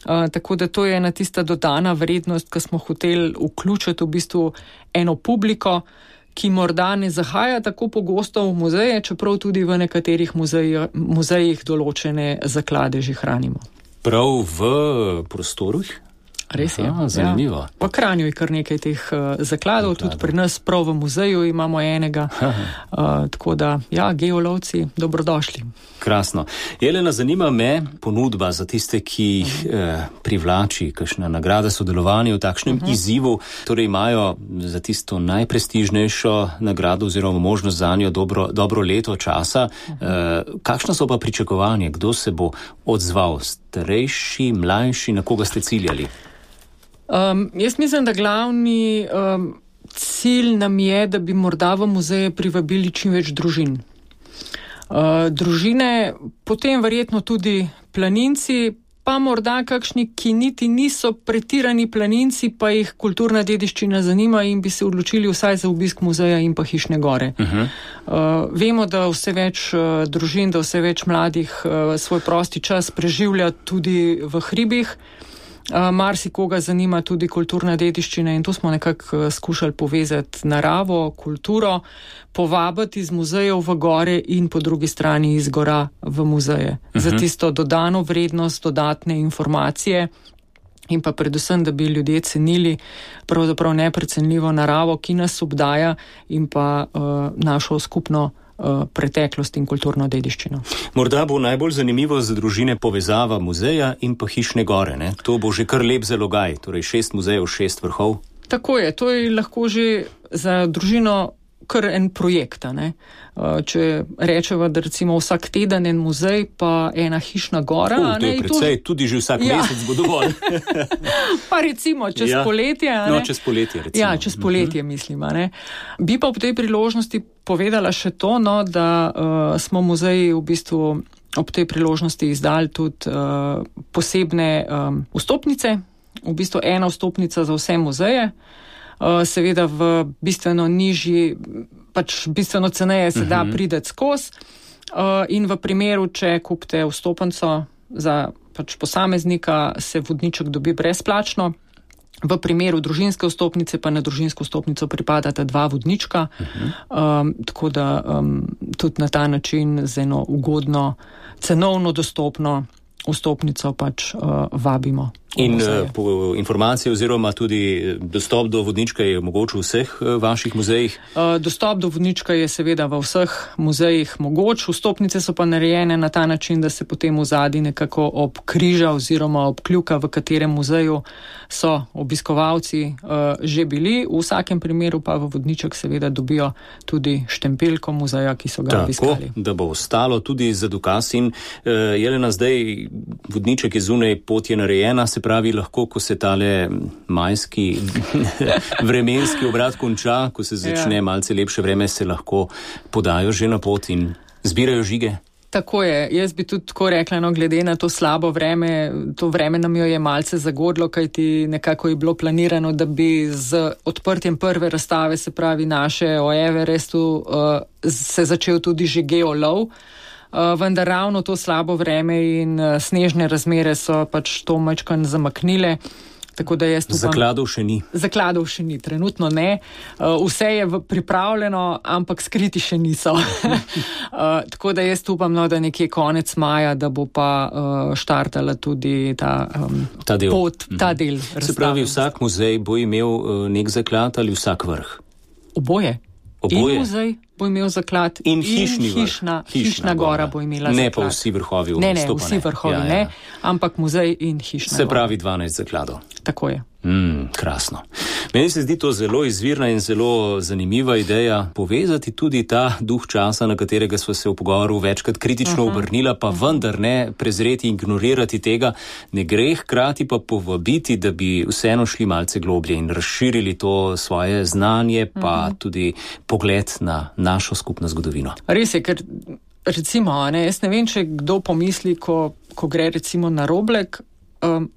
Tako da to je ena tista dodana vrednost, ki smo hoteli vključiti v bistvu eno publiko, ki morda ne zahaja tako pogosto v muzeje, čeprav tudi v nekaterih muzejih določene zaklade že hranimo. Prav v prostorih? Res je. Zanimivo. Ja. V Kranju je kar nekaj teh zakladov, tudi pri nas prav v muzeju imamo enega. Tako da, ja, geolovci, dobrodošli. Krasno. Jelena, zanima me ponudba za tiste, ki jih privlači, kakšna nagrada sodelovanja v takšnem izzivu, torej imajo za tisto najprestižnejšo nagrado oziroma možnost za njo dobro leto časa. Kakšna so pa pričakovanja? Kdo se bo odzval? Starejši, mlajši, na koga ste ciljali? Jaz mislim, da glavni cilj nam je, da bi morda v muzeje privabili čim več družin. Družine, potem verjetno tudi planinci, pa morda kakšni, ki niti niso pretirani planinci, pa jih kulturna dediščina zanima in bi se odločili vsaj za obisk muzeja in pa hišne gore. Vemo, da vse več družin, da vse več mladih svoj prosti čas preživlja tudi v hribih. Marsikoga zanima tudi kulturna dediščina in to smo nekako skušali povezati naravo, kulturo, povabiti iz muzejev v gore in po drugi strani iz gora v muzeje. Za tisto dodano vrednost, dodatne informacije in pa predvsem, da bi ljudje cenili pravzaprav neprecenljivo naravo, ki nas obdaja in pa našo skupno preteklost in kulturno dediščino. Morda bo najbolj zanimivo za družine povezava muzeja in pa hišne gore, ne? To bo že kar lep zalogaj, torej 6 muzejev, 6 vrhov. Tako je, to je lahko že za družino kar en projekt, ne? Če rečeva, da recimo vsak teden en muzej, pa ena hišna gora. To je precej, tudi že vsak mesec bo dovolj. Pa recimo čez poletje. No, čez poletje recimo. Ja, čez poletje mislim. Ne? Bi pa v tej priložnosti povedala še to, no, da smo muzeji v bistvu ob tej priložnosti izdali tudi posebne vstopnice, v bistvu ena vstopnica za vse muzeje, seveda v bistveno nižji, pač bistveno ceneje se da prideti skozi in v primeru, če kupite vstopnico za pač posameznika, se vodniček dobi brezplačno. V primeru družinske vstopnice pa na družinsko vstopnico pripadata 2 vodnička, tako da tudi na ta način z eno ugodno, cenovno dostopno vstopnico pač vabimo. In po informacije oziroma tudi dostop do vodnička je mogoč v vseh vaših muzejih? Dostop do vodnička je seveda v vseh muzejih mogoč. Vstopnice so pa narejene na ta način, da se potem v zadnji nekako obkriža oziroma obkljuka, v katerem muzeju so obiskovalci že bili. V vsakem primeru pa v vodniček seveda dobijo tudi štempelko muzeja, ki so ga obiskali. Tako, da bo ostalo tudi za dokaz. In Jelena, zdaj vodniček je zunaj, pot je narejena, se pravi, lahko, ko se tale majski vremenski obrat konča, ko se začne malce lepše vreme, se lahko podajo že na pot in zbirajo žige. Tako je. Jaz bi tudi tako rekla, no, glede na to slabo vreme, to vreme nam jo je malce zagodlo, kajti nekako je bilo planirano, da bi z odprtjem prve razstave, se pravi naše o Everestu, se začel tudi že geolov. Vendar ravno to slabo vreme in snežne razmere so pač to majčkan zamaknile. Tako da jaz upam, zakladov še ni. Zakladov še ni, trenutno ne. Vse je pripravljeno, ampak skriti še niso. Tako da jaz upam, no, da nekje konec maja, da bo pa štartala tudi ta del. Pot, ta del razstave. Se pravi, vsak muzej bo imel nek zaklad ali vsak vrh? Oboje. In muzej bo imel zaklad in hišna gora bo imela zaklad. Ne pa vsi vrhovi vstopane. Ne, vsi vrhovi ne, ampak muzej in hišna gora. Se pravi 12 zakladov. Tako je. Krasno. Meni se zdi to zelo izvirna in zelo zanimiva ideja povezati tudi ta duh časa, na katerega smo se v pogovoru večkrat kritično obrnila, pa vendar ne prezreti in ignorirati tega, ne gre, hkrati pa povabiti, da bi vseeno šli malce globlje in razširili to svoje znanje, pa tudi pogled na našo skupno zgodovino. Res je, ker recimo, jaz ne vem, če kdo pomisli, ko gre recimo na Roblek,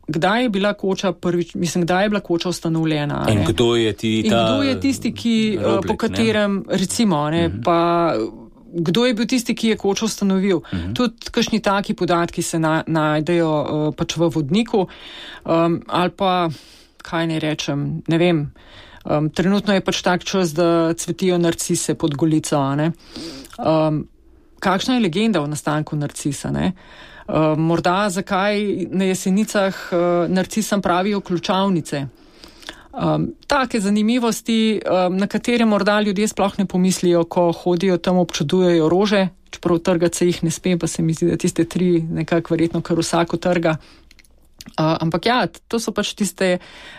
kdaj je bila koča kdaj je bila koča ustanovljena? In kdo je tisti, ki, Roblek, po katerem, recimo, pa kdo je bil tisti, ki je kočo ustanovil? Tudi kakšni taki podatki se najdejo pač v vodniku, ali pa, kaj ne rečem, ne vem, trenutno je pač tak čas, da cvetijo narcise pod Golico, kakšna je legenda o nastanku narcisa, ne? Morda zakaj na Jesenicah narcisam pravijo ključavnice. Take zanimivosti, na katere morda ljudje sploh ne pomislijo, ko hodijo tam, občudujejo rože, čeprav trgati se jih ne sme, pa se mi zdi, da tiste 3 nekako verjetno kar vsako trga. Ampak ja, to so pač tiste,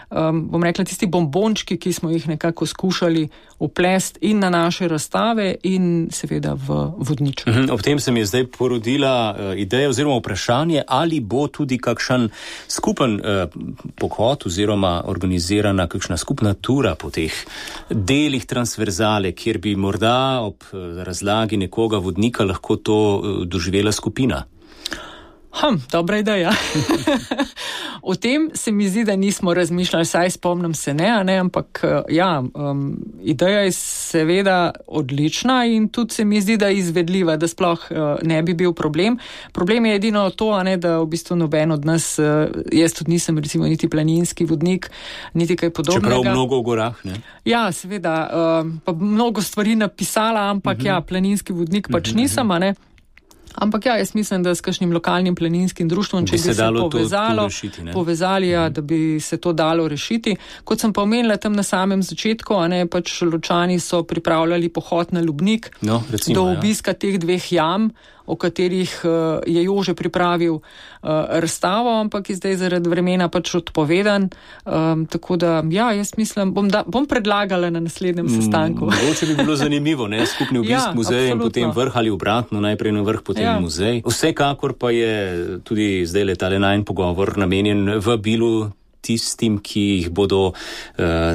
bom rekla, tisti bombončki, ki smo jih nekako skušali uplesti in na naše razstave in seveda v vodniček. Ob tem se mi je zdaj porodila ideja oziroma vprašanje, ali bo tudi kakšen skupen pohod oziroma organizirana kakšna skupna tura po teh delih transverzale, kjer bi morda ob razlagi nekoga vodnika lahko to doživela skupina. Dobra ideja. O tem se mi zdi, da nismo razmišljali, saj spomnim se ne, ampak ja, ideja je seveda odlična in tudi se mi zdi, da je izvedljiva, da sploh ne bi bil problem. Problem je edino to, da v bistvu noben od nas, jaz tudi nisem recimo niti planinski vodnik, niti kaj podobnega. Čeprav mnogo v gorah, ne? Ja, seveda, pa mnogo stvari napisala, ampak ja, planinski vodnik pač nisem, ne? Ampak ja, jaz mislim, da s kakšnim lokalnim planinskim društvom, če bi se povezali, da bi se to dalo rešiti. Kot sem pa omenila tam na samem začetku, pač Ločani so pripravljali pohod na Lubnik, do obiska teh 2 jam, o katerih je Jože pripravil razstavo, ampak je zdaj zaradi vremena pač odpovedan. Tako da, ja, jaz mislim, bom predlagala na naslednjem sestanku. Mogoče bi bilo zanimivo, skupni obisk muzeja in potem vrh ali obratno, najprej na vrh, potem muzej. Vsekakor pa je tudi zdaj tale najin pogovor namenjen vabilu tistim, ki jih bodo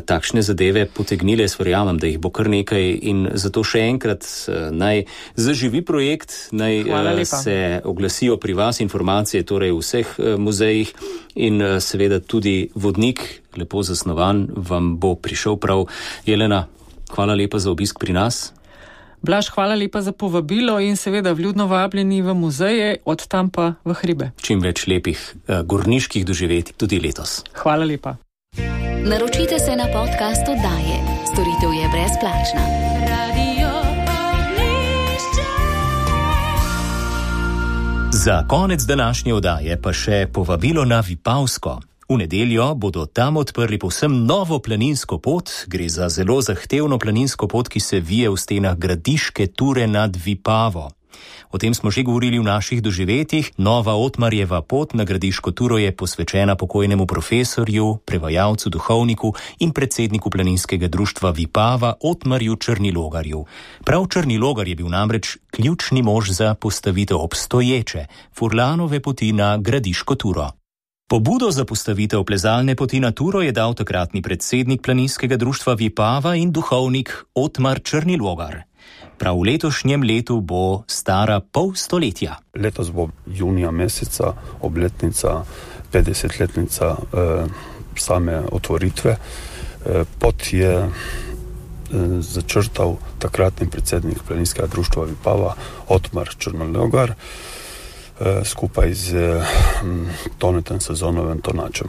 takšne zadeve potegnile. Jaz verjamem, da jih bo kar nekaj in zato še enkrat naj zaživi projekt, naj se oglasijo pri vas informacije, torej v vseh muzejih in seveda tudi vodnik, lepo zasnovan, vam bo prišel prav. Jelena, hvala lepa za obisk pri nas. Blaž, hvala lepa za povabilo in seveda vljudno vabljeni v muzeje, od tam pa v hribe. Čim več lepih gorniških doživetij tudi letos. Hvala lepa. Naročite se na podcast oddaje. Storitev je brezplačna. Za konec današnje oddaje pa še povabilo na Vipavsko. V nedeljo bodo tam odprli povsem novo planinsko pot. Gre za zelo zahtevno planinsko pot, ki se vije v stenah Gradiške Ture nad Vipavo. O tem smo že govorili v naših doživetjih. Nova Otmarjeva pot na Gradiško Turo je posvečena pokojnemu profesorju, prevajalcu, duhovniku in predsedniku planinskega društva Vipava Otmarju Črnilogarju. Prav Črnilogar je bil namreč ključni mož za postavitev obstoječe Furlanove poti na Gradiško Turo. Pobudo za postavitev plezalne poti na Turo je dal takratni predsednik planinskega društva Vipava in duhovnik Otmar Črnilogar. Prav v letošnjem letu bo stara pol stoletja. Letos bo junija meseca obletnica, 50-letnica same otvoritve. Pot je začrtal takratni predsednik planinskega društva Vipava Otmar Črnilogar skupaj z Tonetom Sezonovim Tonačem.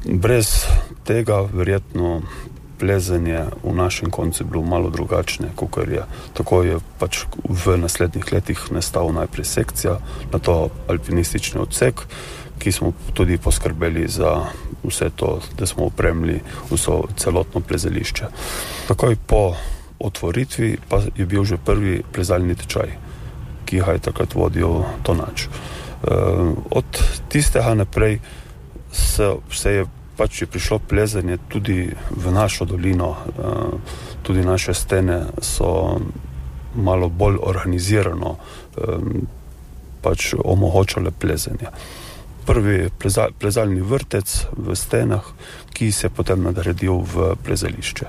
Brez tega verjetno plezanje v našem koncu bilo malo drugačne, kakor je. Tako je pač v naslednjih letih nastal najprej sekcija, na to alpinistični odsek, ki smo tudi poskrbeli za vse to, da smo opremili vso celotno plezališče. Takoj po otvoritvi pa je bil že prvi plezalni tečaj, ki ga je takrat vodil Tonač. Od tistega naprej se je pač je prišlo plezanje tudi v našo dolino, tudi naše stene so malo bolj organizirano pač omogočale plezanje. Prvi plezalni vrtec v stenah, ki se je potem nadgradil v plezališče.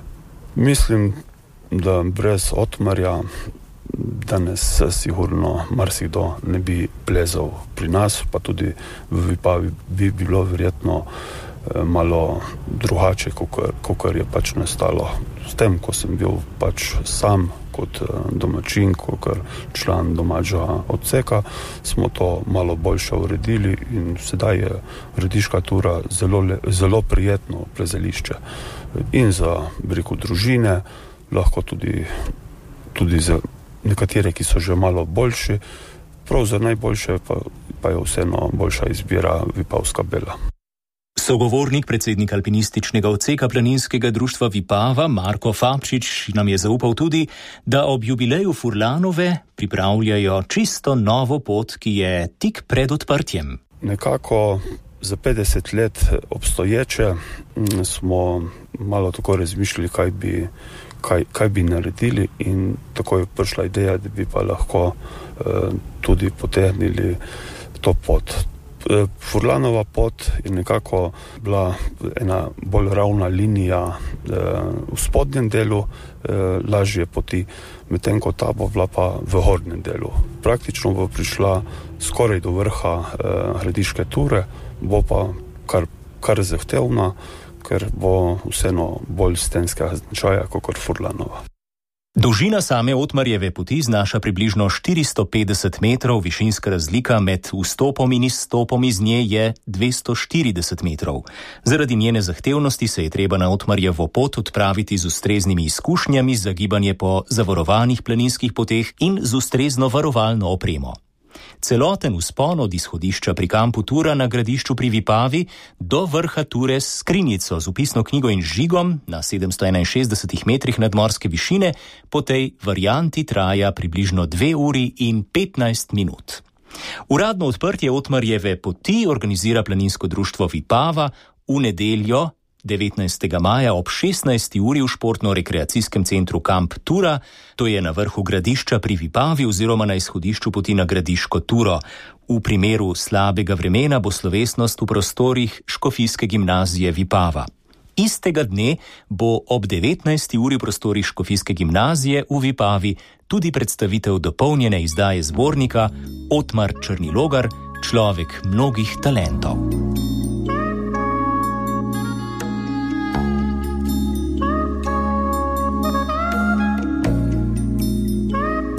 Mislim, da brez Otmarja danes sigurno marsikdo ne bi plezal pri nas, pa tudi v Vipavi bi bilo verjetno malo drugače, kakor je pač nastalo. S tem, ko sem bil pač sam kot domačin, kakor član domačega odseka, smo to malo boljše uredili in sedaj je Gradiška Tura zelo prijetno plezališče. In za družine, lahko tudi za nekatere, ki so že malo boljši, prav za najboljše pa je vseeno boljša izbira Vipavska Bela. Sogovornik predsednika alpinističnega odseka planinskega društva Vipava, Marko Fabčič, nam je zaupal tudi, da ob jubileju Furlanove pripravljajo čisto novo pot, ki je tik pred odprtjem. Nekako za 50 let obstoječe smo malo tako razmišljali, kaj bi naredili, in tako je prišla ideja, da bi pa lahko tudi potegnili to pot. Furlanova pot je nekako bila ena bolj ravna linija v spodnjem delu lažje poti, medtem ko ta bo bila pa v hornjem delu. Praktično bo prišla skoraj do vrha Gradiške Ture, bo pa kar zahtevna, ker bo vseeno bolj stenskega značaja kot Furlanova. Dolžina same Otmarjeve poti znaša približno 450 metrov, višinska razlika med vstopom in izstopom iz nje je 240 metrov. Zaradi njene zahtevnosti se je treba na Otmarjevo pot odpraviti z ustreznimi izkušnjami za gibanje po zavarovanih planinskih poteh in z ustrezno varovalno opremo. Celoten vzpon od izhodišča pri kampu Tura na Gradišču pri Vipavi do vrha Ture s skrinjico z vpisno knjigo in žigom na 761 metrih nadmorske višine po tej varianti traja približno 2 uri in 15 minut. Uradno odprtje Otmarjeve poti organizira planinsko društvo Vipava v nedeljo 19. maja ob 16. uri v športno-rekreacijskem centru Kamp Tura, to je na vrhu Gradišča pri Vipavi oziroma na izhodišču poti na Gradiško Turo. V primeru slabega vremena bo slovesnost v prostorih Škofijske gimnazije Vipava. Istega dne bo ob 19. uri v prostorih Škofijske gimnazije v Vipavi tudi predstavitev dopolnjene izdaje zbornika Otmar Črnilogar, človek mnogih talentov.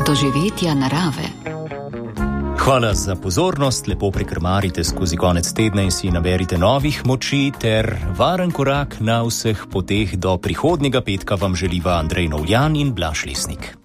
Doživetja narave. Hvala za pozornost, lepo prekrmarite skozi konec tedna in si naberite novih moči ter varen korak na vseh poteh do prihodnjega petka vam želiva Andrej Novljan in Blaž Lesnik.